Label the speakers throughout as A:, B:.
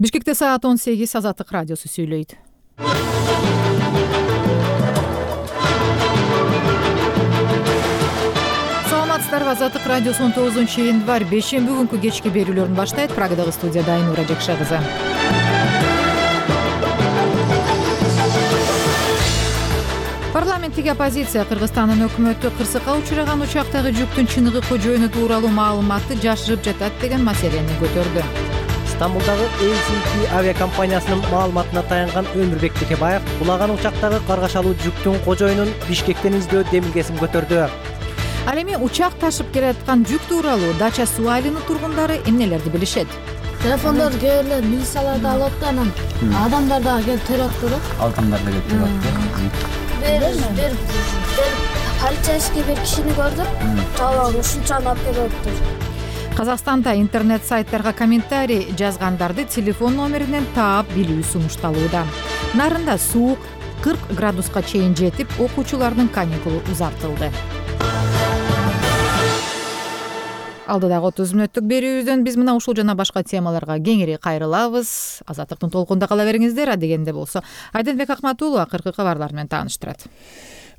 A: Бишкекте саат 18 Азаттык радиосу сүйлөйт. Саламатсыздарбы, Азаттык радиосу 19-январь бейшемби күнкү кечки берүүлөрүн баштайт. Прагадагы студияда Айнура Жакша кызы. Парламенттик оппозиция Кыргызстандын өкмөтү кырсыкка учураган учактагы жүктүн чыныгы кожоюну тууралуу маалыматты жашырып жатат деген маселени көтөрдү.
B: Стамбулдагы LCT авиакомпаниясынын маалыматына таянган Өмүрбек Текебаев кулаган учактагы каргашалуу жүктүн кожоюнун Бишкектен издөө демилгесин көтөрдү.
A: Ал эми учак ташып келаткан жүк тууралуу Дача суу айылынын тургундары эмнелерди билишет?
C: Телефондорду кээ бирлер милицияларда алат да, анан адамдар дагы келип төрөттү да.
D: Адамдар да келип төрөттү.
C: Бир полицейский бир кишини көрдүм. Талап ушунчаны алып келиптир.
A: Казакстанда интернет сайттарга комментарий жазгандарды телефон номеринен таап билүү сунушталууда. Нарында суук 40 градуска чейин жетип, окуучулардын каникулу узартылды. Алдыдагы 30 мүнөттүк берүүбүздөн биз мына ушул жана башка темаларга кеңири кайрылабыз. Азаттыктын толкунда кала бериңиздер. Адегенде болсо Айденбек Акматулов акыркы кабарлар менен тааныштырат.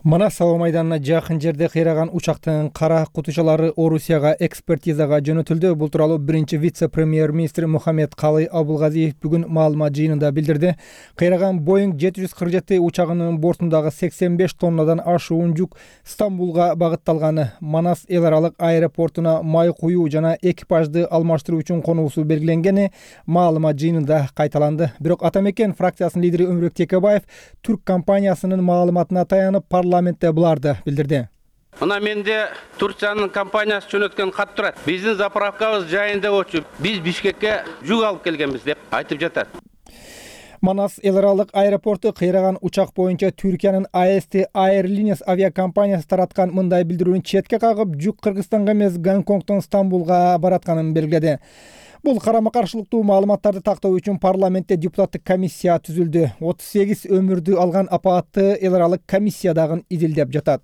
E: Манас аба майданына жакын жерде кыйраган учактын кара кутучалары Орусияга экспертизага жөнөтүлдү. Бул тууралуу биринчи вице-премьер-министр Мухаммед Калый Абулгазиев бүгүн маалымат жыйынында билдирди. Кыйраган Boeing 747 учагынын бортундагы 85 тоннадан ашуун жүк Стамбулга багытталганы, Манас эл аралык аэропортуна май куюу жана экипажды алмаштыруу үчүн конуусу белгиленгени маалымат жыйынында кайталанды. Бирок Атамекен фракциясынын лидери Өмүрбек Текебаев түрк компаниясынын маалыматына таянып парламентте буларды билдирди.
F: Мына менде Турциянын компаниясы жөнөткөн кат турат. Биздин заправкабыз жайында болчу. Биз Бишкекке жүк алып келгенбиз деп айтып жатат.
E: Манас эл аралык аэропорту кыйраган учак боюнча Түркиянын AST Airlines авиакомпаниясы тараткан мындай билдирүүнү четке кагып, жүк Кыргызстанга эмес Гонконгдон Стамбулга баратканын белгиледи. Бул карама-каршылыктуу маалыматтарды тактоо үчүн парламентте депутаттык комиссия түзүлдү. 38 өмүрдү алган апаатты эл аралык комиссия дагы изилдеп жатат.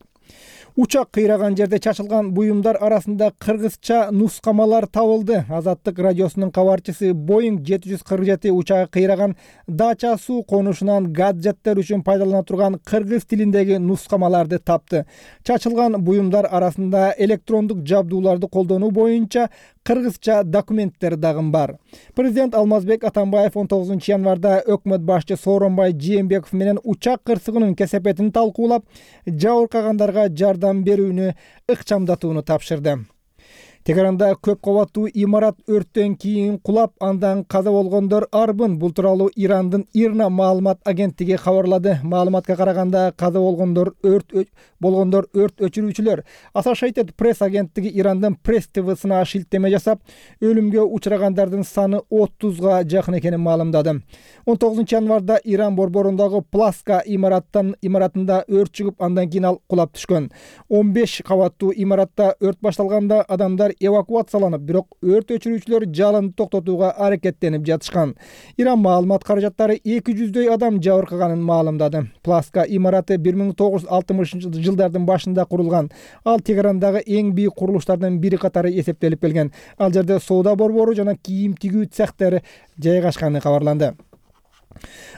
E: Учак кыйраган жерде чачылган буюмдар арасында кыргызча нускамалар табылды. Азаттык радиосунун кабарчысы Boeing 747 учагы кыйраган Дача суу конушунан гаджеттер үчүн пайдалана турган кыргыз тилиндеги нускамаларды тапты. Чачылган буюмдар арасында электрондук жабдууларды колдонуу боюнча кыргызча документтер дагы бар. Президент Алмазбек Атамбаев 19-январда өкмөт башчы Сооронбай Жээнбеков менен учак кырсыгынын кесепетин талкуулап, жабыркагандарга жардам берүүнү ыкчамдатууну тапшырды. Тегеранда көп кабаттуу имарат өрттөн кийин кулап, андан каза болгондор арбын. Бул тууралуу Ирандын ИРНА маалымат агенттиги кабарлады. Маалыматка караганда каза болгондор өрт өчүрүүчүлөр. Associated Press агенттиги Ирандын Press TV-сына шилтеме жасап, өлүмгө учурагандардын саны 30га жакын экенин маалымдады. 19-январда Иран борборундагы Пласка имаратында өрт чыгып, андан кийин ал кулап түшкөн. 15 кабаттуу имаратта өрт башталганда адамдар эвакуацияланып, бирок өрт өчүрүүчүлөр жалынды токтотууга аракеттенип жатышкан. Иран маалымат каражаттары 200дөй адам жабыркаганын маалымдады. Пласка имараты 1960-жылдардын башында курулган. Ал Тегерандагы эң бийик курулуштардын бири катары эсептелип келген. Ал жерде соода борбору жана кийим тигүү цехтери жайгашканы кабарланды.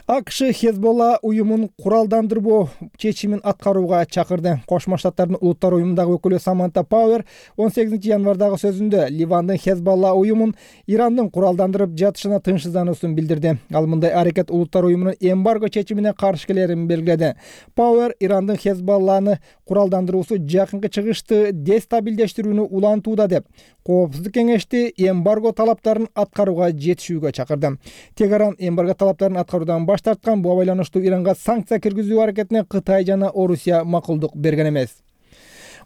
E: АКШ Хезболла уюмун куралдандырбоо чечимин аткарууга чакырды. Кошмо Штаттардын улуттар уюмундагы өкүлү Саманта Пауэр 18-январдагы сөзүндө Ливандын Хезболла уюмун Ирандын куралдандырып жатышына тынчсыздануусун билдирди. Ал мындай аракет улуттар уюмунун эмбарго чечимине каршы келерин белгиледи. Пауэр Ирандын Хезболланы куралдандыруусу жакынкы чыгышты дестабилдештирүүнү улантууда деп, Коопсуздук кеңешти эмбарго талаптарын аткарууга жетишүүгө чакырды. Тегеран эмбарго талаптарын аткаруудан баш тарткан. Буга байланыштуу Иранга санкция киргизүү аракетине Кытай жана Орусия макулдук берген эмес.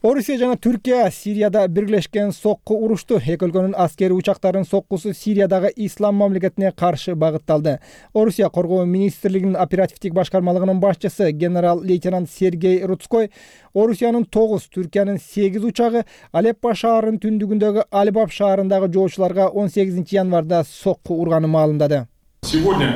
E: Орусия жана Түркия Сирияда бирлешкен сокку урушту. Эки өлкөнүн аскери учактарынын соккусу Сириядагы ислам мамлекетине каршы багытталды. Орусия коргоо министрлигинин оперативдик башкармалыгынын башчысы генерал-лейтенант Сергей Рудской Орусиянын 9, Түркиянын 8 учагы Алеппо шаарынын түндүгүндөгү Албаб шаарындагы жоочуларга 18 январда сокку урганын маалымдады.
G: Сегодня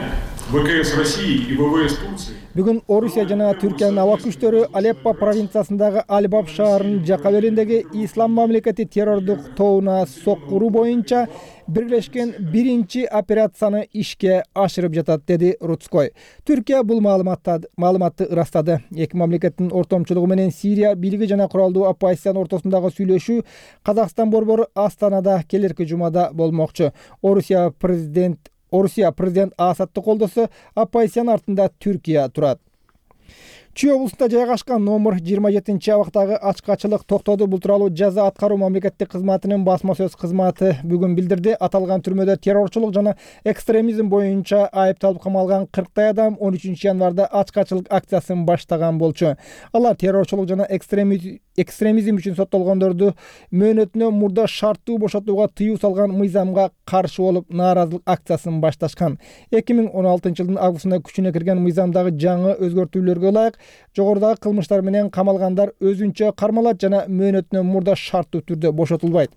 G: ВКС России и ВВС Турции.
E: Бүгүн Орусия жана Түркиянын аба күчтөрү Алеппо провинциясындагы Алибаб шаарынын жака бериндеги Ислам мамлекети террордук тобуна соккуруу боюнча биргелешкен биринчи операцияны ишке ашырып жатат, деди Рудской. Түркия бул маалыматты ырастады. Эки мамлекеттин ортомчулугу менен Сирия бийлиги жана куралдуу оппозициянын ортосундагы сүйлөшүү Казакстан борбору Астанада келерки жумада болмокчу. Орусия президент Асадты колдосо, оппозициянын артында Түркия турат. Чүй облусунда жайгашкан номер 27-абактагы ачкачылык токтоду. Бул тууралуу жаза аткаруу мамлекеттик кызматынын басма сөз кызматы бүгүн билдирди. Аталган түрмөдө террорчулук жана экстремизм боюнча айыпталып камалган 40 адам 13 январда ачкачылык акциясын баштаган болчу. Алар террорчулук жана экстремизм үчүн соттолгондорду мөөнөтүнө мурда шарттуу бошотууга тыюу салган мыйзамга каршы болуп нааразылык акциясын башташкан. 2016-жылдын августунда күчүнө кирген мыйзамдагы жаңы өзгөртүүлөргө ылайык жогорудагы кылмыштар менен камалгандар өзүнчө кармалат жана мөөнөтүнөн мурда шарттуу түрдө бошотулбайт.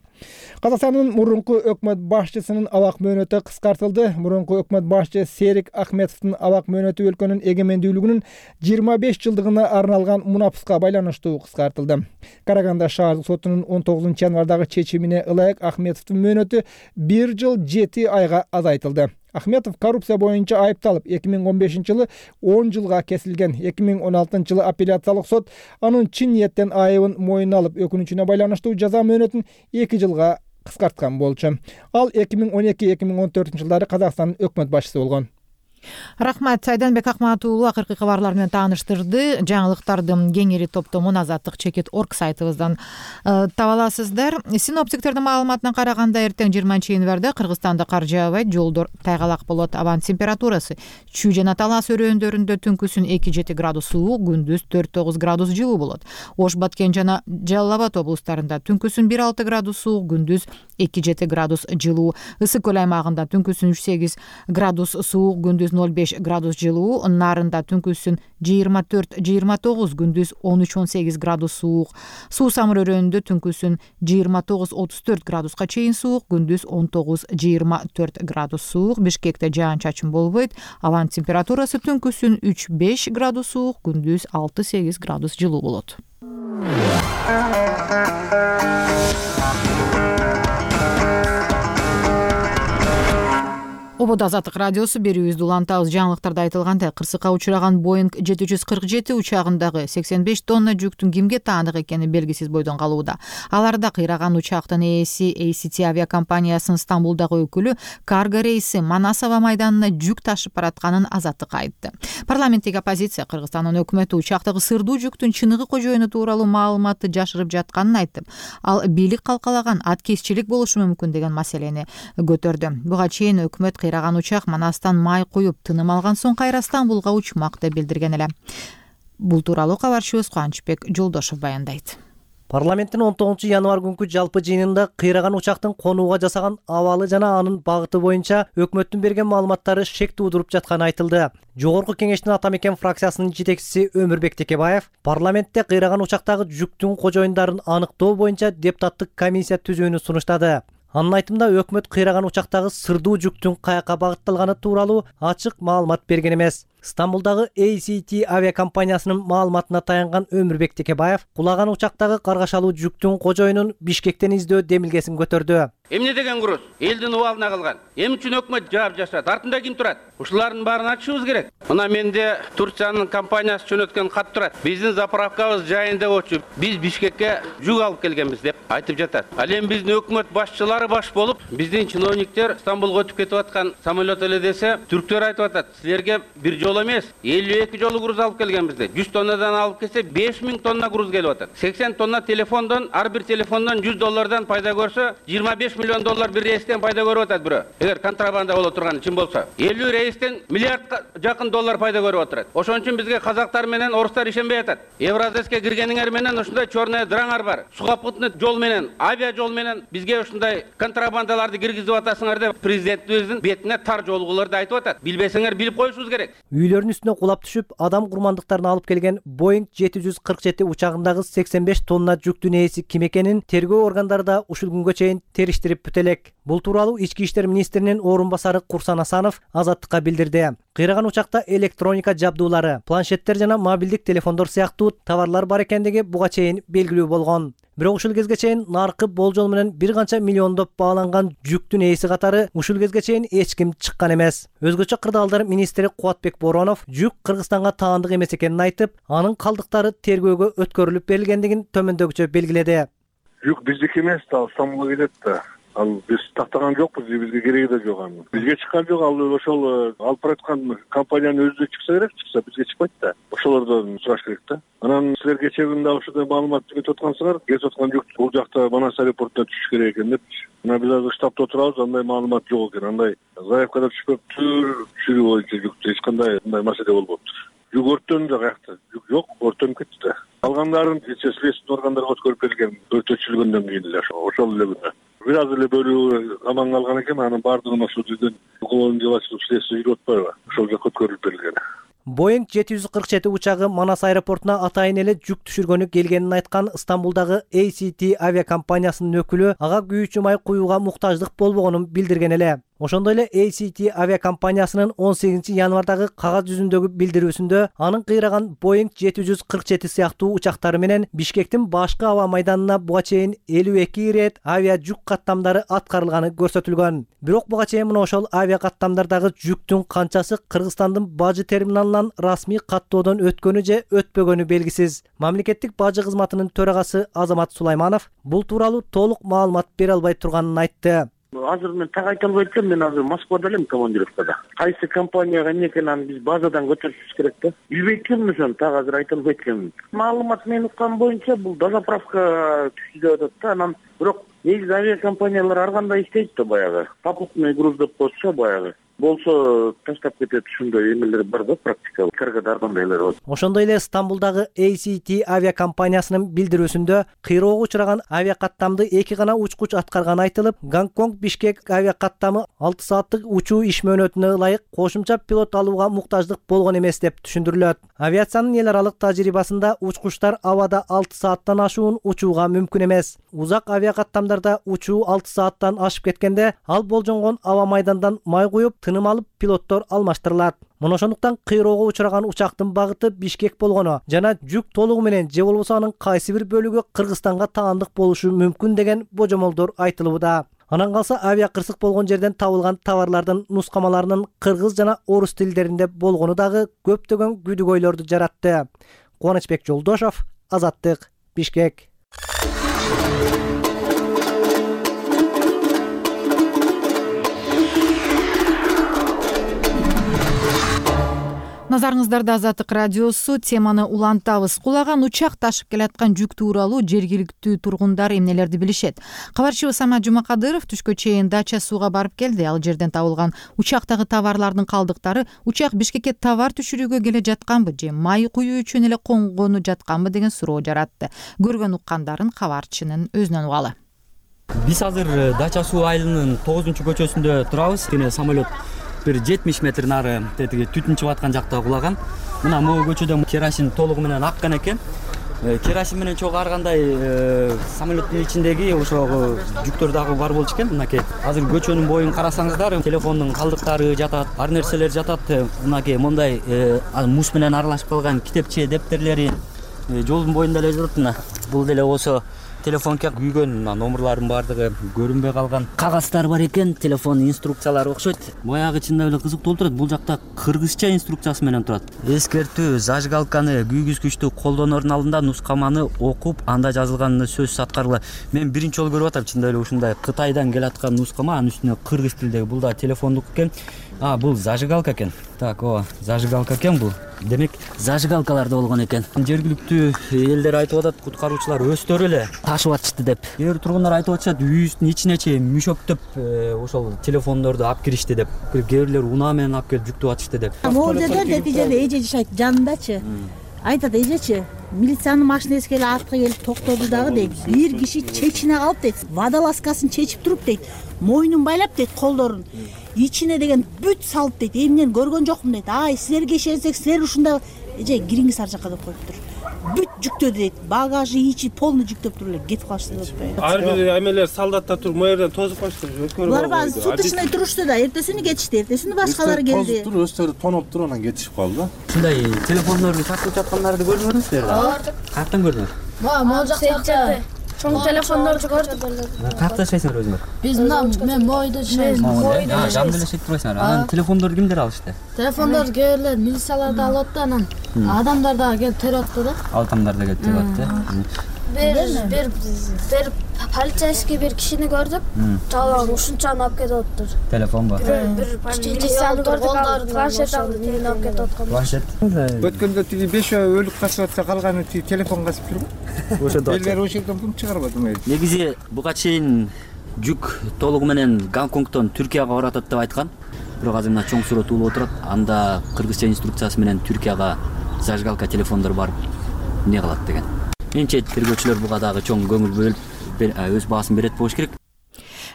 E: Казакстандын мурунку өкмөт башчысынын абак мөөнөтү кыскартылды. Мурунку өкмөт башчы Серик Ахметовдун абак мөөнөтү өлкөнүн эгемендүүлүгүнүн 25 жылдыгына арналган мунапыска байланыштуу кыскартылды. Караганда шаардык сотунун 19 январдагы чечимине ылайык Ахметовдун мөөнөтү 1 жыл 7 айга азайтылды. Ахметов коррупция боюнча айыпталып 2015-жылы 10 жылга кесилген. 2016-жылы апелляциялык сот анын чын ниеттен айыбын мойнуна алып, өкүнүчүнө байланыштуу жаза мөөнөтүн 2 жылга кыскарткан болчу. Ал 2012-2014 жылдары Казакстандын өкмөт башчысы болгон.
A: Рахмат, Айданбек Акмат уулу акыркы кабарлар менен тааныштырды. Жаңылыктардын кеңири топтомун azatlyk.org сайтыбыздан таба аласыздар. Синоптиктердин маалыматына караганда эртең 20 январда Кыргызстанда кар жаабайт, жолдор тайгалак болот. Абанын температурасы Чүй жана Талас өрөөндөрүндө түнкүсүн 2-7 градус суук, күндүз 4-9 градус жылуу болот. Ош, Баткен жана Жалал Абад облустарында түнкүсүн 1-6 градус суук, күндүз 2-7 градус жылуу. Ысык көл аймагында түнкүсүн 3-8 градус суук, күндүз 0-5 градус жылуу. Нарында түнкүсүн 24-29, күндүз 13-18 градус суук. Суу Самыр өрөөнүндө түнкүсүн 29-34 градуска чейин суук, күндүз 19-24 градус суук. Бишкекте жаан-чачын болбойт. Абанын температурасы түнкүсүн 3-5 градус суук, күндүз 6-8 градус жылуу болот. Ободо Азаттык радиосу берүүбүздү улантабыз. Жаңылыктарда айтылгандай, кырсыкка учураган Boeing 747 учагындагы 85 тонна жүктүн кимге таандык экени белгисиз бойдон калууда. Аларда кыйраган учактын ээси ACT авиакомпаниясынын Стамбулдагы өкүлү карго рейси Манас аба майданына жүк ташып баратканын Азаттыкка айтты. Парламенттик оппозиция Кыргызстандын өкмөтү учактагы сырдуу жүктүн чыныгы кожоюну тууралуу маалыматты жашырып жатканын айтып, ал бийлик калкалаган аткезчилик болушу мүмкүн деген маселени көтөрдү. Буга чейин өкмөт кыйраган учак Манастан май куюп тыным алган соң кайра Стамбулга учмак деп билдирген эле. Бул тууралуу кабарчыбыз Кубанычбек Жолдошов баяндайт.
B: Парламенттин 19 январ күнкү жалпы жыйынында кыйраган учактын конууга жасаган абалы жана анын багыты боюнча өкмөттүн берген маалыматтары шек туудуруп жатканы айтылды. Жогорку кеңештин Ата Мекен фракциясынын жетекчиси Өмүрбек Текебаев парламентте кыйраган учактагы жүктүн кожоюндарын аныктоо боюнча депутаттык комиссия түзүүнү сунуштады. Анын айтымында өкмөт кыйраган учактагы сырдуу жүктүн каяка багытталганы тууралуу ачык маалымат берген эмес. Стамбулдагы ACT авиакомпаниясынын маалыматына таянган Өмүрбек Текебаев кулаган учактагы каргашалуу жүктүн кожоюнун Бишкектен издөө демилгесин көтөрдү.
F: Эмне деген груз? Элдин убалына калган. Эмне үчүн өкмөт жаап жашат? Артында ким турат? Ушулардын баарын ачышыбыз керек. Мына менде Турциянын компаниясы жөнөткөн кат турат. Биздин заправкабыз жайында болчу. Биз Бишкекке жүк алып келгенбиз деп айтып жатат. Ал эми биздин өкмөт башчылары баш болуп, биздин чиновниктер Стамбулга өтүп кетип аткан самолет эле десе, түрктөр айтып атат. Силерге бир жол эмес, 52 жолу груз алып келгенбиз деп. 100 тоннадан алып келсе 5000 тонна груз келип атат. 80 тонна телефондон, ар бир телефондон $100 пайда көрсө, 25 миллион доллар бир рейстен пайда көрүп атат бирөө. Эгер контрабанда боло турганы чын болсо, 50 рейстен миллиардга жакын доллар пайда көрүп атат. Ошон үчүн бизге казактар менен орустар ишенбей атат. Евразеске киргениңер менен ушундай чорный дыраңар бар. Сухопутный жол менен, авиа жол менен бизге ушундай контрабандаларды киргизип атасыңар деп президентибиздин бетине тар жолгуларды айтып атат. Билбесеңер билип коюшубуз керек.
B: Үйлөрүнүн үстүнө кулап түшүп, адам курмандыктарын алып келген Boeing 747 учагындагы 85 тонна жүктүн ээси ким экенин тергөө органдары да ушул күнгө чейин териштирип бүтө элек. Бул тууралуу Ички иштер министринин орун басары Курсан Асанов Азаттыкка билдирди. Кыйраган учакта электроника жабдуулары, планшеттер жана мобилдик телефондор сыяктуу товарлар бар экендиги буга чейин белгилүү болгон. Бирок ушул кезге чейин наркы болжол менен бир канча миллиондоп бааланган жүктүн ээси катары ушул кезге чейин эч ким чыккан эмес. Өзгөчө кырдаалдар министри Кубатбек Боронов жүк Кыргызстанга таандык эмес экенин айтып, анын калдыктары тергөөгө өткөрүлүп берилгендигин төмөндөгүчө белгиледи.
H: Жүк биздики эмес да, Стамбулга келет да. Ал биз тактаган жокпуз, бизге кереги да жок анын. Бизге чыккан жок, ал ошол алып бараткан компаниянын өзү чыкса керек, чыкса бизге чыкпайт да. Ошолордон сураш керек да. Анан силер кечээ күндө ушундай маалымат кетип аткансыңар, кетип аткан жүк бул жакта Манас аэропортуна түшүш керек экен деп. Мына биз азыр штабта отурабыз, андай маалымат жок экен. Андай заявкада түшпөптүр, түшүрүү боюнча жүктү эч кандай мындай маселе болбоптур. Жүк өрттөнүп жок аякта. Жүк жок, өрттөнүп кетти да. Калгандарын следственный органдарга өткөрүп берилген, өртөтүлгөндөн кийин эле ошол эле күнү. Бир аз эле бөлүгү аман калган экен, анын баардыгын ошол жерден уголовный дело ачылып следствие жүрүп атпайбы? Ошол жака өткөрүлүп берилген.
B: Boeing 747 учагы Манас аэропортуна атайын эле жүк түшүргөнү келгенин айткан Стамбулдагы ACT авиакомпаниясынын өкүлү ага күйүүчү май куюуга муктаждык болбогонун билдирген эле. Ошондой эле ACT авиакомпаниясынын 18 январдагы кагаз жүзүндөгү билдирүүсүндө анын кыйраган Boeing 747 сыяктуу учактары менен Бишкектин башкы аба майданына буга чейин 52 ирет авиа жүк каттамдары аткарылганы көрсөтүлгөн. Бирок буга чейин мына ошол авиа каттамдардагы жүктүн канчасы Кыргызстандын бажы терминалынан расмий каттоодон өткөнү же өтпөгөнү белгисиз. Мамлекеттик бажы кызматынын төрагасы Азамат Сулайманов бул тууралуу толук маалымат бере албай турганын айтты.
I: Азыр мен так айта албай атам, мен азыр Москвада элем командировкада. Кайсы компанияга эмне экенин аны биз базадан көтөрүшүбүз керек да. Билбейт экенмин ошону, так азыр айта албайт экенмин. Маалымат мен уккан боюнча бул дозаправка түштү деп атат да, анан бирок негизи авиакомпаниялар ар кандай иштейт да баягы. Попутный груз деп коётчу баягы. Болсо таштап кетет, ушундай эмелер бар да практика. Каргада ар кандайлар бар.
B: Ошондой эле Стамбулдагы ACT авиакомпаниясынын билдирүүсүндө кыйроого учураган авиакаттамды эки гана учкуч аткарганы айтылып, Гонконг Бишкек авиакаттамы 6 сааттык учуу иш мөөнөтүнө ылайык кошумча пилот алууга муктаждык болгон эмес деп түшүндүрүлөт. Авиациянын эл аралык тажрыйбасында учкучтар абада 6 сааттан ашуун учууга мүмкүн эмес. Узак авиакаттамдарда учуу 6 сааттан ашып кеткенде, ал болжонгон аба майдандан май куюп тыным алып пилоттор алмаштырылат. Мына ошондуктан кыйроого учураган учактын багыты Бишкек болгону жана жүк толугу менен же болбосо анын кайсы бир бөлүгү Кыргызстанга таандык болушу мүмкүн деген божомолдор айтылууда. Анан калса авиа кырсык болгон жерден табылган товарлардын нускамаларынын кыргыз жана орус тилдеринде болгону дагы көптөгөн күдүгөйлөрдү жаратты. Кубанычбек Жолдошов, Азаттык, Бишкек.
A: Назарыңыздарда Азаттык радиосу, теманы улантабыз. Кулаган учак ташып келаткан жүк тууралуу жергиликтүү тургундар эмнелерди билишет? Кабарчыбыз Самат Жумакадыров түшкө чейин Дача сууга барып келди. Ал жерден табылган учактагы товарлардын калдыктары учак Бишкекке товар түшүрүүгө келе жатканбы же май куюу үчүн эле конгону жатканбы деген суроо жаратты. Көргөн уккандарын кабарчынын өзүнөн угалы.
D: Биз азыр Дача суу айылынын 9-көчөсүндө турабыз. Кene самолет bir 70 метр нары тетиги түтүн чыгып аткан жакта кулаган. Мына могу көчөдө керосин толугу менен аккан экен. Керосин менен чогуу ар кандай самолеттин ичиндеги ошо жүктөр дагы бар болчу экен. Мынакей азыр көчөнүн боюн карасаңыздар, телефондун калдыктары жатат, ар нерселер жатат. Мынакей мондай муз менен аралашып калган китепче, дептерлери жолдун боюнда эле жатат. Мына бул деле болсо телефонго күйгөн номерлардын баардыгы көрүнбөй калган кагаздар бар экен, телефон инструкциялары окшойт. Баягы чындап эле кызыктуу турат. Бул жакта кыргызча инструкциясы менен турат. Эскертүү: зажигалканы күйгүзгүчтү колдоноордун алдында нускаманы окуп, анда жазылганын сөзсүз аткаргыла. Мен биринчи жолу көрүп атам, чындап эле ушундай Кытайдан келаткан нускама, анын үстүнө кыргыз тилдеги. Бул да телефондук экен. Бул зажигалка экен. Так, зажигалка экен бул. Демек, зажигалкалар да болгон экен. Жергиликтүү элдер айтып атат, куткаруучулар өздөрү эле ташып атышты деп. Кээ бир тургундар айтып атышат, үйүбүздүн ичине чейин мүшөктөп ошол телефондорду алып киришти деп. Кээ бирлер унаа менен алып келип жүктүп атышты деп.
J: Могу жерде нетижеде эже жашайт жанындачы. Айтат, эжечи, милициянын машинеси келип артка келип токтоду дагы дейт. Бир киши чечине калып дейт. Водолазкасын чечип туруп дейт. Мойнун байлап дейт, колдорун. Ичине деген бүт салып дейт. Эмнени көргөн жокмун дейт. Ай, силерге ишенсек, силер ушунда эже кириңиз ар жака деп коюптур. бүт жүктөдү дейт. Багажы ичи полный жүктөп туруп эле кетип калышты деп атпайбы.
K: Ар бир эмелер солдаттар туруп моерден тозуп калышты.
J: Булар баары суточный турушту да, эртесини кетишти, эртесини башкалар келди.
L: Тозуп туруп, өздөрү тоноп туруп анан кетишип калды да.
D: Ушундай телефондорду сатып жаткандарды көрдүңүздөр? Каяктан көрдүңүз?
C: Могу жактакта чоң телефондорду көрдүк.
D: Каякта жашайсыңар өзүңөр?
C: Биз мен бойдо жашайбыз.
D: Жанында эле жашайт турбайсыңар. Анан телефондорду кимдер алышты?
C: Телефондорду кээ милициялар да алып атты, анан адамдар да келип терип атты да.
D: Адамдар да келип терип атты.
C: Бир полицейский бир кишини көрдүк. Талан ушунчаны алып кетип атыптыр.
D: Телефонго.
C: Бир милицияны көрдүк, планшет алып кетип аткан.
D: Планшет.
E: Өткөндө тиги 5 өлүк касып атса, калганы тиги телефон касып жүрбү?
D: Ошондо.
E: Элдер ошол жерден пул чыгарбады ма?
D: Негизи буга чейин жүк толугу менен Гонконгдон Түркияга баратат деп айткан. Бирок азыр мына чоң сүрөт улуп отурат. Анда кыргызча инструкциясы менен Түркияга зажигалка телефондор барып эмне кылат деген. Менимче тергөөчүлөр буга дагы чоң көңүл бөлүп өз баасын берет болуш керек.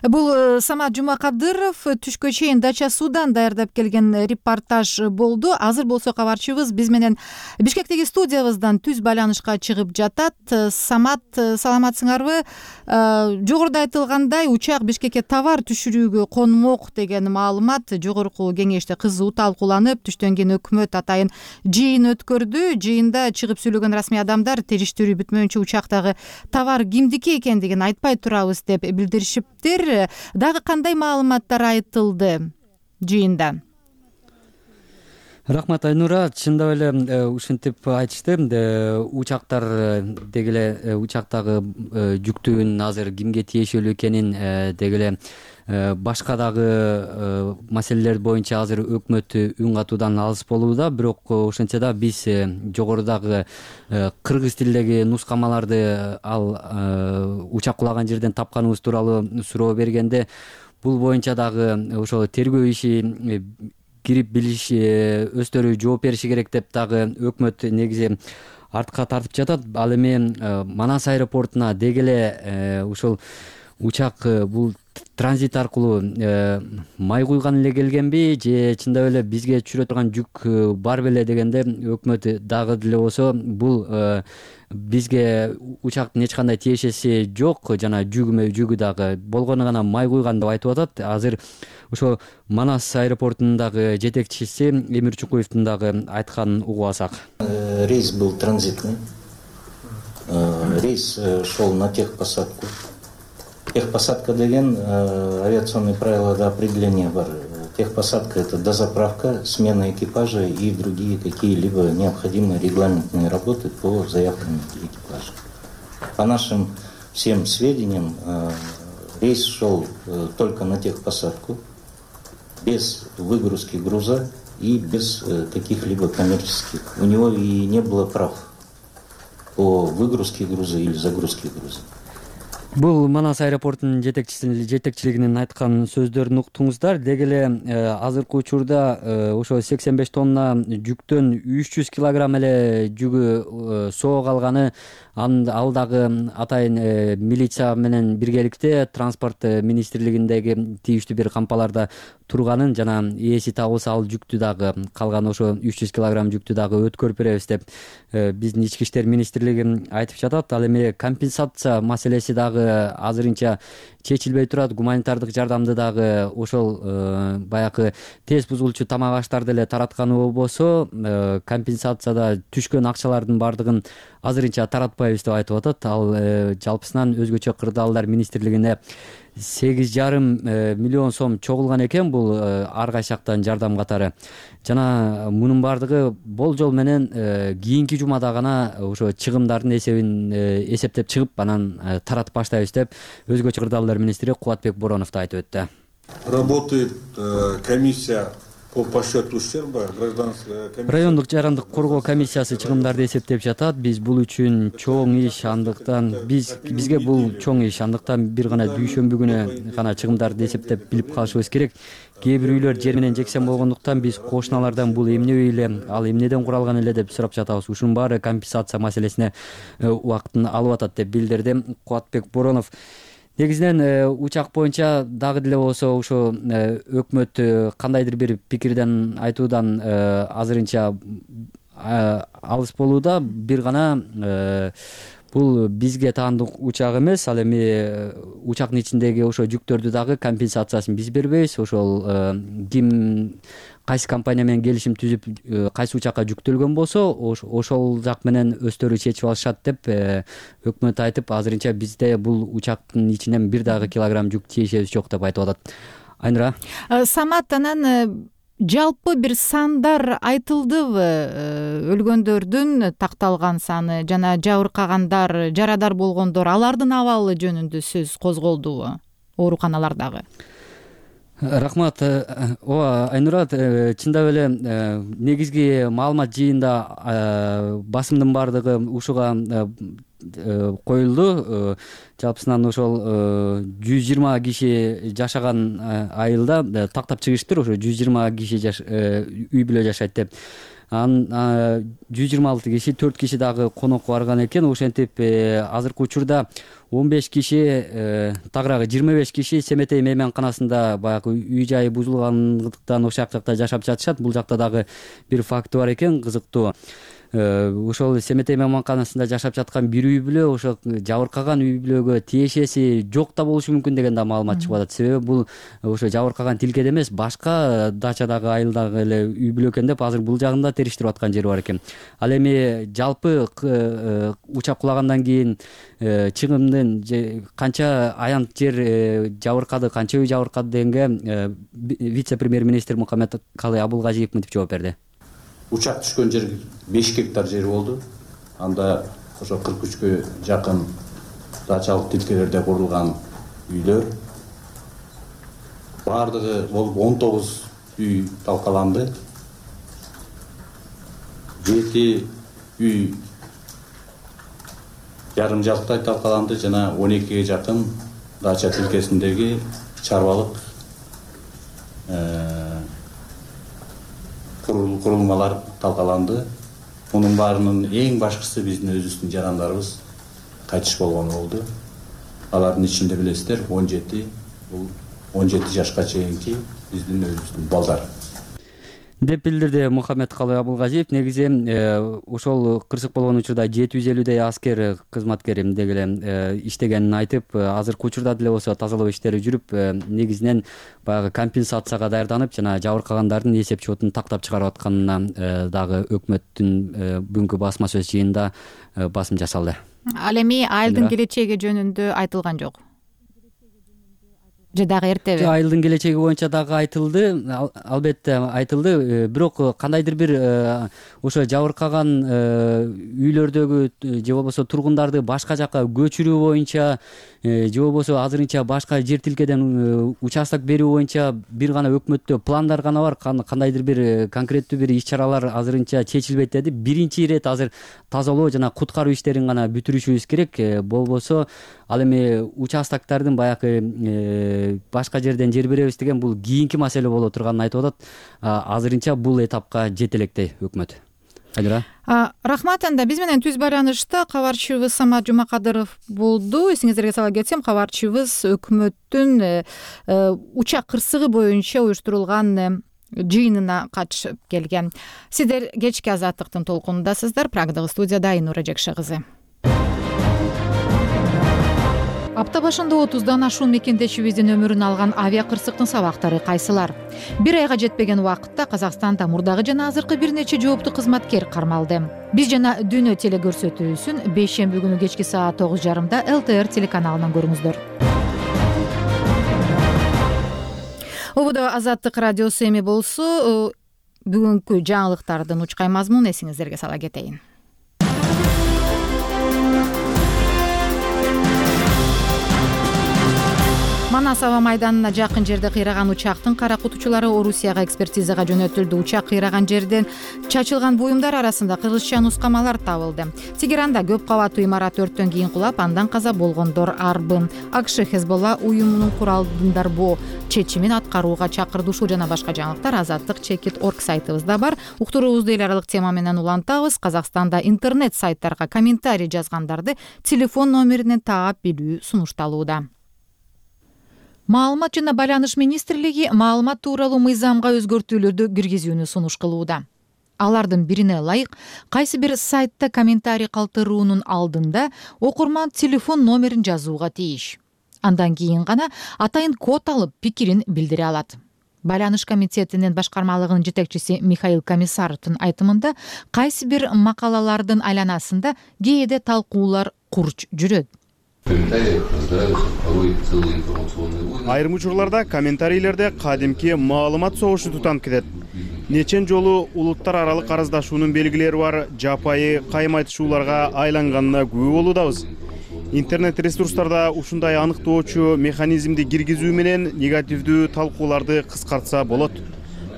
A: Бул Самат Жумакадыров түшкө чейин Дача Суудан даярдап келген репортаж болду. Азыр болсо кабарчыбыз биз менен Бишкектеги студиябыздан түз байланышка чыгып жатат. Самат, саламатсыңарбы? Жогоруда айтылгандай, учак Бишкекке товар түшүрүүгө конмок деген маалымат жогорку кеңеште кызуу талкууланып, түштөн кийин өкмөт атайын жыйын өткөрдү. Жыйында чыгып сүйлөгөн расмий адамдар териштирүү бүтмөйүнчө учактагы товар кимдики экендигин айтпай турабыз деп билдиришиптир. Дагы кандай маалыматтар айтылды жыйында?
D: Рахмат Айнура, чындап эле ушинтип айтышты. Учактар деги эле учактагы жүктүн азыр кимге тиешелүү экенин деги эле башка дагы маселелер боюнча азыр өкмөт үн катуудан алыс болууда. Бирок ошентсе да биз жогорудагы кыргыз тилиндеги нускамаларды ал учак кулаган жерден тапканыбыз тууралуу суроо бергенде, бул боюнча дагы ошол тергөө иши кирип билиш, өздөрү жооп бериши керек деп дагы өкмөт негизи артка тартып жатат. Ал эми Манас аэропортуна деги эле ушул учак бул транзит аркылуу май куйган эле келгенби же чындап эле бизге түшүрө турган жүк бар беле дегенде, өкмөт дагы деле болсо бул бизге учактын эч кандай тиешеси жок, жана жүгү дагы болгону гана май куйган деп айтып атат. Азыр ошо Манас аэропортунун жетекчиси Эмир Чукуевдин дагы айтканын угуп алсак.
M: Рейс был транзитный. Рейс шел на техпосадку. Техпосадка деген авиационные правила до определения бар. Техпосадка — это дозаправка, смена экипажа и другие какие-либо необходимые регламентные работы по заявкам экипажа. По нашим всем сведениям, рейс шел только на техпосадку, без выгрузки груза и без каких-либо коммерческих. У него и не было прав по выгрузке груза или загрузке груза.
D: Бул Манас аэропортунун жетекчилигинин айткан сөздөрүн уктуңуздар. Деги эле азыркы учурда ошо 85 тонна жүктөн 300 килограмм эле жүгү соо калганы, ал дагы атайын милиция менен биргеликте транспорт министрлигиндеги тийиштүү бир кампаларда турганын, жана ээси табылса ал жүктү дагы, калган ошо 300 килограмм жүктү дагы өткөрүп беребиз деп биздин ички иштер министрлиги айтып жатат. Ал эми компенсация маселеси дагы азырынча чечилбей турат. Гуманитардык жардамды дагы ошол баягы тез бузулчу тамак аштарды эле таратканы болбосо, компенсацияда түшкөн акчалардын бардыгын азырынча таратпайбыз деп айтып атат. Ал жалпысынан өзгөчө кырдаалдар министрлигине 8,5 миллион сом чогулган экен бул ар кайсыяктан жардам катары. Жана мунун бардыгы болжол менен кийинки жумада гана ошо чыгымдардын эсебин эсептеп чыгып, анан таратып баштайбыз деп өзгөчө кырдаалдар министри Кубатбек Боронов да айтып өттү.
L: Работает комиссия по подсчету ущерба, гражданская комиссия.
D: Райондук жарандык коргоо комиссиясы чыгымдарды эсептеп жатат. Биз бул үчүн чоң иш, андыктан бизге бул чоң иш, андыктан бир гана дүйшөмбү күнү гана чыгымдарды эсептеп билип калышыбыз керек. Кээ бир үйлөр жер менен жексен болгондуктан биз кошуналардан бул эмне үй эле, ал эмнеден куралган эле деп сурап жатабыз. Ушунун баары компенсация маселесине убактын алып атат деп билдирди Кубатбек Боронов. Негизинен учак боюнча дагы деле болсо ошо өкмөт кандайдыр бир пикирден айтуудан азырынча алыс болууда. Бир гана бул бизге таандык учак эмес, ал эми учактын ичиндеги ошо жүктөрдү дагы компенсациясын биз бербейбиз. Ошол ким кайсы компания менен келишим түзүп кайсы учакка жүктөлгөн болсо ошол жак менен өздөрү чечип алышат деп өкмөт айтып, азырынча бизде бул учактын ичинен бир дагы килограмм жүк тиешебиз жок деп айтып атат. Айнура,
A: Самат, анан жалпы бир сандар айтылдыбы? Өлгөндөрдүн такталган саны жана жабыркагандар, жарадар болгондор, алардын абалы жөнүндө сөз козголдубу ооруканалардагы?
D: Рахмат. Ооба, Айнура, чындап эле негизги маалымат жыйында басымдын баардыгы ушуга коюлду. Жалпысынан ошол 120 киши жашаган айылда тактап чыгыштыр, ошо 120 киши үй бүлө жашайт деп. Анан 126 киши, 4 киши дагы конокко барган экен. Ошентип азыркы учурда 15 киши, тагыраагы 25 киши Семетей мейманканасында баягы үй жайы бузулгандыктан ошол жакта жашап жатышат. Бул жакта дагы бир факты бар экен, кызыктуу. Ошол Семетей мейманканасында жашап жаткан бир үй бүлө ошо жабыркаган үй бүлөгө тиешеси жок да болушу мүмкүн деген да маалымат чыгып атат. Себеби бул ошо жабыркаган тилкеде эмес, башка дачадагы айылдагы эле үй бүлө экен деп азыр бул жагында териштирип аткан жери бар экен. Ал эми жалпы учак кулагандан кийин чыгымдын канча аянт жер жабыркады, канча үй жабыркады дегенге вице-премьер-министр Мухаммедкалый Абулгазиев мынтип жооп берди.
M: Учак түшкөн жер 5 гектар жер болду. Анда ошо 43кө жакын дачалык тилкелерде курулган үйлөр. Бардыгы болуп 19 үй талкаланды. 7 үй жарым жалктай талкаланды жана 12ге жакын дача тилкесиндеги чарбалык курулмалар талкаланды. Мунун баарынын эң башкысы биздин өзүбүздүн жарандарыбыз кайтыш болгон болду. Алардын ичинде билесиздер 17, бул 17 жашка чейинки биздин өзүбүздүн балдар
D: деп билдирди Мухаммедкалый Абулгазиев. Негизи ошол кырсык болгон учурда 750дей аскер кызматкер эмнеге эле иштегенин айтып, азыркы учурда деле болсо тазалоо иштери жүрүп, негизинен баягы компенсацияга даярданып жана жабыркагандардын эсеп счетун тактап чыгарып атканына дагы өкмөттүн бүгүнкү басма сөз жыйынында басым жасалды.
A: Ал эми айылдын келечеги жөнүндө айтылган жок? Же дагы эртеби?
D: Айылдын келечеги боюнча дагы айтылды, албетте айтылды. Бирок кандайдыр бир ошо жабыркаган үйлөрдөгү же болбосо тургундарды башка жакка көчүрүү боюнча же болбосо азырынча башка жер тилкеден участок берүү боюнча бир гана өкмөттө пландар гана бар. Кандайдыр бир конкреттүү бир иш-чаралар азырынча чечилбейт деди. Биринчи ирет азыр тазалоо жана куткаруу иштерин гана бүтүрүшүбүз керек. Болбосо ал эми участоктордун баягы башка жерден жер беребиз деген бул кийинки маселе боло турганын айтып атат. Азырынча бул этапка жете электей өкмөт. Айнура.
A: Рахмат. Анда биз менен түз байланышта кабарчыбыз Самат Жумакадыров болду. Эсиңиздерге сала кетсем, кабарчыбыз өкмөттүн учак кырсыгы боюнча уюштурулган жыйынына катышып келген. Сиздер кечки Азаттыктын толкунундасыздар. Прагдагы студияда Айнура Жекше кызы. Апта башында 30дан ашуун мекендешибиздин өмүрүн алган авиа кырсыктын сабактары кайсылар? Бир айга жетпеген убакытта Казакстанда мурдагы жана азыркы бир нече жооптуу кызматкер кармалды. Биз жана Дүйнө телекөрсөтүүсүн бейшемби күнү кечки саат 9:30 ЛТР телеканалынан көрүңүздөр. Ободо Азаттык радиосу эми болсо, бүгүнкү жаңылыктардын учкай мазмунун эсиңиздерге сала кетейин. Манас аба майданына жакын жерде кыйраган учактын кара кутучулары Орусияга экспертизага жөнөтүлдү. Учак кыйраган жерден чачылган буюмдар арасында кыргызча нускамалар табылды. Тегеранда көп кабаттуу имарат өрттөн кийин кулап, андан каза болгондор арбын. АКШ Хезболла уюмунун куралдындарбоо чечимин аткарууга чакырды. Ушул жана башка жаңылыктар Азаттык.org сайтыбызда бар. Уктуруубузду эл аралык тема менен улантабыз. Казакстанда интернет сайттарга комментарий жазгандарды телефон номеринен таап билүү сунушталууда. Маалымат жана байланыш министрлиги маалымат тууралуу мыйзамга өзгөртүүлөрдү киргизүүнү сунуш кылууда. Алардын бирине ылайык кайсы бир сайтта комментарий калтыруунун алдында окурман телефон номерин жазууга тийиш. Андан кийин гана атайын код алып пикирин билдире алат. Байланыш комитетинин башкармалыгынын жетекчиси Михаил Комиссаровдун айтымында кайсы бир макалалардын айланасында кээде талкуулар курч жүрөт.
N: Айрым учурларда комментарийлерде кадимки маалымат согушу тутанып кетет. Нечен жолу улуттар аралык араздашуунун белгилери бар жапайы кайым айтышууларга айланганына күбө болуудабыз. Интернет ресурстарда ушундай аныктоочу механизмди киргизүү менен негативдүү талкууларды кыскартса болот.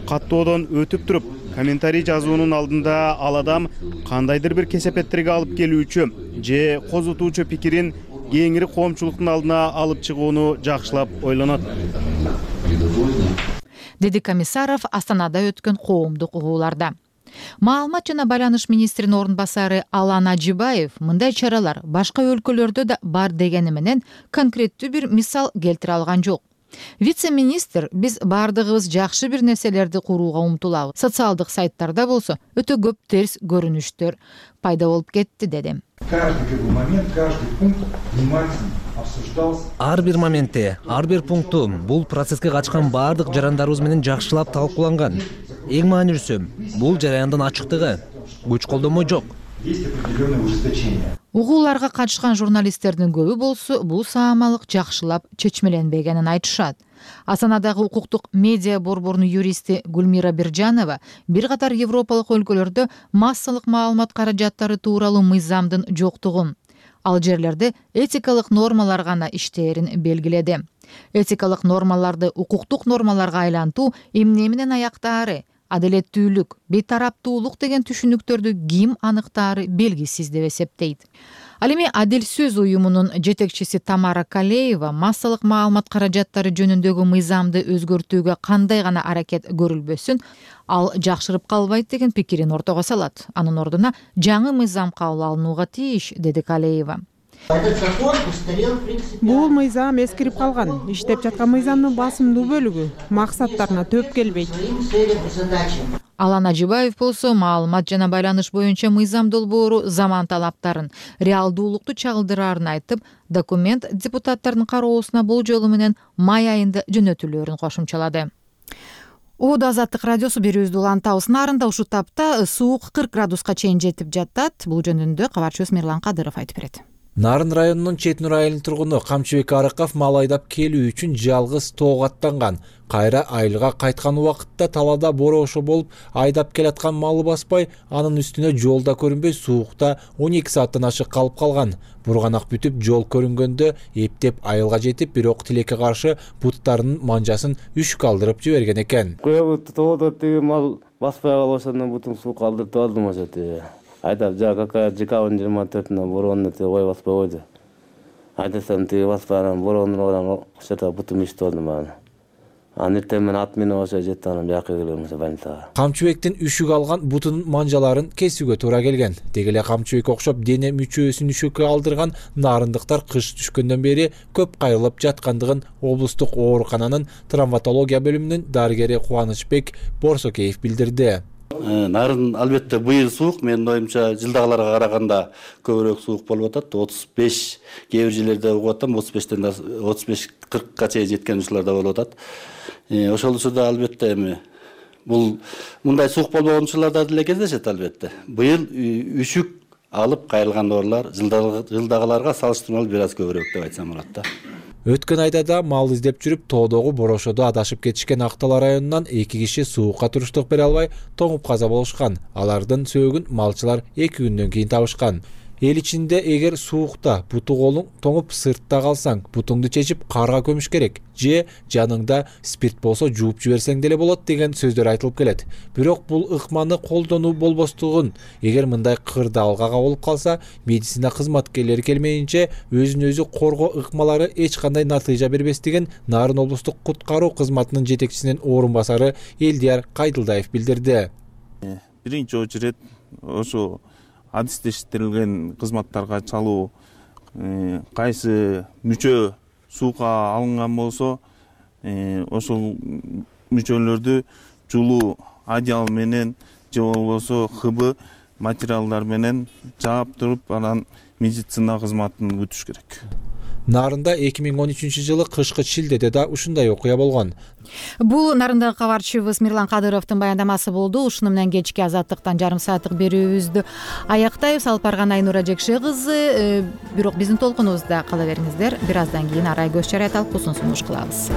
N: Каттоодон өтүп туруп, комментарий жазуунун алдында ал адам кандайдыр бир кесепеттерге алып келүүчү же козутуучу пикирин кеңири коомчулуктун алдына алып чыгууну жакшылап ойлонот,
A: деди Комиссаров Астанада өткөн коомдук угууларда. Маалымат жана байланыш министринин орун басары Алан Ажибаев мындай чаралар башка өлкөлөрдө да бар дегени менен конкреттүү бир мисал келтире алган жок. Вице-министр биз бардыгыбыз жакшы бир нерселерди курууга умтулабыз. Социалдык сайттарда болсо өтө көп терс көрүнүштөр пайда болуп кетти деди.
O: Ар бир моментте, ар бир пункту бул процесске качкан бардык жарандарыбыз менен жакшылап талкууланган. Эң маанилүүсү бул жараяндын ачыктыгы, күч колдонмо жок.
A: Угууларга катышкан журналисттердин көбү болсо бул саамалык жакшылап чечмеленбегенин айтышат. Астанадагы укуктук медиа борборунун юристи Гүлмира Биржанова бир катар европалык өлкөлөрдө массалык маалымат каражаттары тууралуу мыйзамдын жоктугун, ал жерлерде этикалык нормалар гана иштээрин белгиледи. Этикалык нормаларды укуктук нормаларга айлантуу эмне менен аяктаары, адилеттүүлүк, бейтараптуулук деген түшүнүктөрдү ким аныктаары белгисиз деп эсептейт. Ал эми Адил сөз уюмунун жетекчиси Тамара Калеева массалык маалымат каражаттары жөнүндөгү мыйзамды өзгөртүүгө кандай гана аракет көрүлбөсүн, ал жакшырып калбайт деген пикирин ортого салат. Анын ордуна жаңы мыйзам кабыл алынууга тийиш, деди Калеева.
P: Бул мыйзам эскирип калган. Иштеп жаткан мыйзамдын басымдуу бөлүгү максаттарына төп келбейт.
A: Алан Ажибаев болсо маалымат жана байланыш боюнча мыйзам долбоору заман талаптарын, реалдуулукту чагылдыраарын айтып, документ депутаттардын кароосуна бул жолу менен май айында жөнөтүлөөрүн кошумчалады. Оодо Азаттык радиосу берүүбүздү улантабыз. Нарында ушул тапта суук 40 градуска чейин жетип жатат. Бул жөнүндө кабарчыбыз Мирлан Кадыров айтып берет.
O: Нарын районунун Четинур айылынын тургуну Камчыбек Арыков мал айдап келүү үчүн жалгыз тоого аттанган. Кайра айылга кайткан убакытта талаада борошо болуп айдап келаткан малы баспай, анын үстүнө жолда көрүнбөй суукта 12 сааттан ашык калып калган. Бурганак бүтүп жол көрүнгөндө эптеп айылга жетип, бирок тилекке каршы буттарынын манжасын үш калдырып жиберген экен.
Q: Тоодо тиги мал баспай калбасынан бутун суу калдырып алдым ошо. Айдап какая декабрь 24-нө бороонду ой баспай койду. Айдасам тиги баспайан бороонун ошо бутум ишти болду мага. Эртең мен ат менен ошо жетти, анан бияка келем ошо больницага.
O: Камчыбектин үшүк алган бутунун манжаларын кесүүгө туура келген. Деги эле Камчыбек окшоп дене мүчөсүн үшүккө алдырган нарындыктар кыш түшкөндөн бери көп кайрылып жаткандыгын облустук оорукананын травматология бөлүмүнүн дарыгери Кубанычбек Борсокеев билдирди.
R: Нарын албетте быйыл суук, менин оюмча жылдагыларга караганда көбүрөөк суук болуп атат. 35 кээ бир жерлерде угуп атам, 35-40га чейин жеткен учурлар да болуп атат. Ошол учурда албетте эми бул мындай суук болбогон учурларда деле кездешет албетте. Быйыл үшүк алып кайрылган оорулар жылдагыларга салыштырмалуу бир аз көбүрөөк деп айтсам болот да.
O: Өткөн айда да мал издеп жүрүп, тоодогу борошодо адашып кетишкен Актала районунан 2 киши суукка туруштук бере албай тоңуп каза болушкан. Алардын сөөгүн малчылар 2 күндөн кийин табышкан. Эл ичинде эгер суукта буту колуң тоңуп сыртта калсаң, бутуңду чечип карга көмүш керек, же жаныңда спирт болсо жууп жиберсең деле болот деген сөздөр айтылып келет. Бирок бул ыкманы колдонуу болбостугун, эгер мындай кырдаалгага болуп калса, медицина кызматкерлери келмейинче өзүн өзү коргоо ыкмалары эч кандай натыйжа бербестигин Нарын облустук куткаруу кызматынын жетекчисинин орун басары Элдияр Кайдылдаев билдирди.
S: Биринчи очередь ошо адистештирилген кызматтарга чалуу, кайсы мүчө суукка алынган болсо, ошол мүчөлөрдү жулуу одеял менен же болбосо ХБ материалдар менен жаап туруп анан медицина кызматын күтүш керек.
O: Нарында 2013-жылы кышкы шилдеде да ушундай окуя болгон.
A: Бул Нарындагы кабарчыбыз Мирлан Кадыровдун баяндамасы болду. Ушуну менен кечки Азаттыктан жарым сааттык берүүбүздү аяктайбыз. Алып барган Айнура Жекше кызы. Бирок биздин толкунубузда кала бериңиздер. Бир аздан кийин арай көз чарайт алып узун сунуш кылабыз.